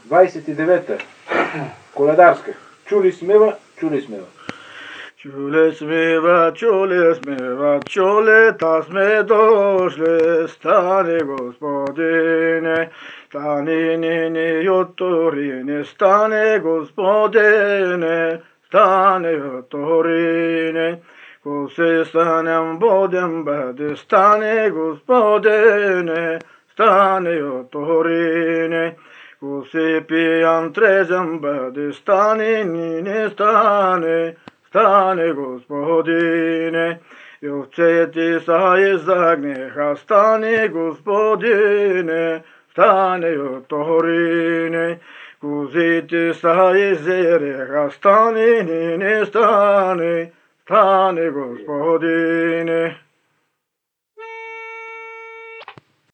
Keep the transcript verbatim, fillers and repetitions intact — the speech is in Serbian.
двадесет и девета, коледарска. Чули смева, чули смева. Чули смева, чули смева, чули, та сме дошли, стани Господине, стани нини юторине, стани Господине, стани юторине, коси станем будем бъде, стани Господине, стани юторине, коси пиян трезен бъде, стани нини, стани, стане Господине, и овцете са изгнаха, стане Господине, стане юторине, козите са изереха, стане, не стане, стане Господине.